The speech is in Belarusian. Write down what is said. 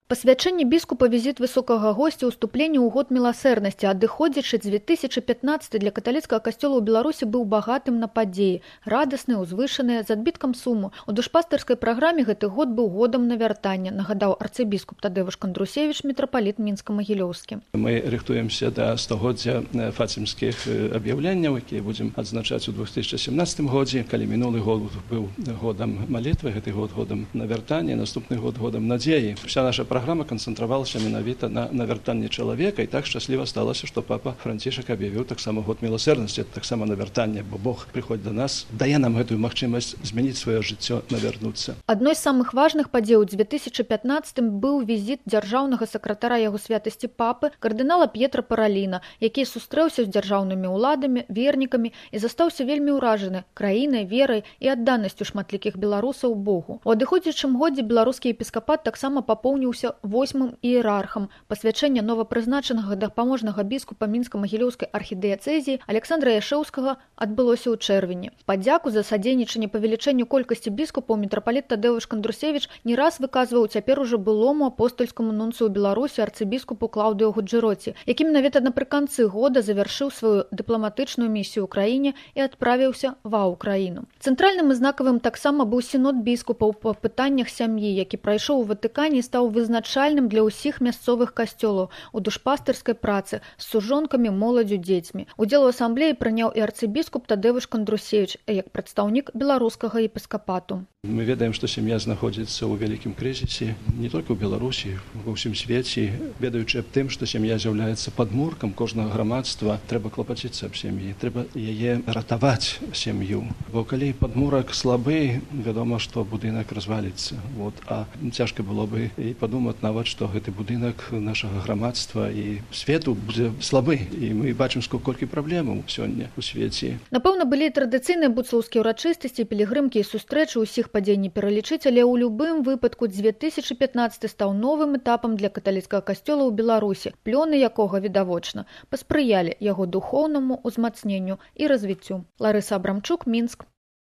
Пасвячэнне біскупа, візіт высокага госця, уступленне ў год міласэрнасці, адыходзячы 2015 для каталіцкага касцёла ў Беларусі быў багатым на падзеі, радасны, узвышаны, з адбіткам суму. У душпастырскай праграме гэты год быў годам навяртання, нагадаў арцыбіскуп Тадеуш Кандрусевіч, мітрапаліт Мінска-Магілёўскі. Мы рыхтуемся да стагоддзя фацімскіх аб'яўленняў, якія будзем адзначаць у 2017 годзе. Калі мінулы год быў годам малітвы, гэты год годам навяртання, наступны год годам надзеі. Вся наша программа канцэнтравалася менавіта на навяртанні чалавека, і так шчасліва сталася, што папа Францішак аб'явіў таксама год міласэрнасці, таксама навяртанне, бо Бог прыходзіць да нас, дае нам гэтую магчымасць змяніць сваё жыццё, навярнуцца. Адной з самых важных падзей у 2015 быў візіт дзяржаўнага сакратара яго святасці папы, кардынала П'етра Параліна, які сустрэўся з дзяржаўнымі ўладамі, вернікамі і застаўся вельмі ўражаны краінай, верай і адданасцю шматлікіх беларусаў Богу. У адыходзячым годзе беларускі епіскапат таксама папоўніўся 8-м іерархам. Пасвячэнне новапрызначанага дапаможнага біскупа Мінска-Магілёўскай архідыяцэзіі Александра Яшэўскага адбылося ў чэрвені. Падзяку за садзейнічанне павелічэнню колькасці біскупаў мітрапаліт Тадеуш Кандрусевіч не раз выказваў цяпер ужо былому апостольскаму нунцыю Беларусі арцыбіскупу Клаўдыю Гуджэроці, які менавіта напрыканцы года завяршыў сваю дыпламатычную місію ў краіне і адправіўся ва Ўкраіну. Цэнтральным і знакавым таксама быў сінод біскупаў па пытаннях сям'і, які прайшоў у Ватыкане і стаў вызначальным для ўсіх мясцовых касцёлаў у душпастырскай працы з сужонкамі, моладзю, дзецьмі. Удзел у асамблеі прыняў і арцыбіскуп Тадеуш Кандрусевіч як прадстаўнік беларускага епіскапату. Мы ведаем, што сям'я знаходзіцца ў вялікім крызісе не толькі ў Беларусі, ва ўсім свеце. Ведаючы аб тым, што сям'я з'яўляецца падмуркам кожнага грамадства, трэба клапаціцца аб сям'і, трэба яе ратаваць сям'ю. Бо калі падмурак слабы, вядома, што будынак разваліцца. А цяжка было бы і падумаць нават, што гэты будынак нашага грамадства і свету будзе слабы. І мы бачым, колькі праблемаў сёння ў свеце. Напэўна, былі традыцыйныя буцлаўскія ўрачыстасці, пілігрымкі і сустрэчы, усіх падзей не пералічыць, але ў любым выпадку 2015 стаў новым этапам для каталіцкага касцёла ў Беларусі, плёны якога, відавочна, паспрыялі яго духоўнаму ўзмацненню і развіццю. Ларыса Абрамчук, Мінск.